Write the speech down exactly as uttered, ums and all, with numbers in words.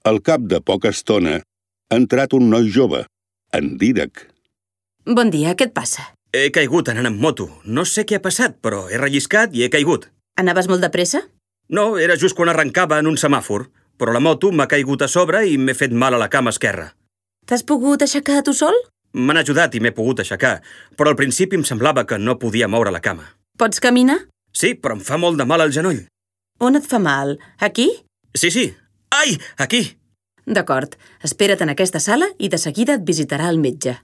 Al cap de poca estona, ha entrat un noi jove, en Dídac. Bon dia, què et passa? He caigut anant amb moto. No sé què ha passat, però he relliscat i he caigut. Anaves molt de pressa? No, era just quan arrencava en un semàfor, però la moto m'ha caigut a sobre i m'he fet mal a la cama esquerra. T'has pogut aixecar tu sol? M'han ajudat i m'he pogut aixecar, però al principi em semblava que no podia moure la cama. Pots caminar? Sí, però em fa molt de mal al genoll. On et fa mal? Aquí? Sí, sí. Ai, aquí! D'acord, espera't en aquesta sala i de seguida et visitarà el metge.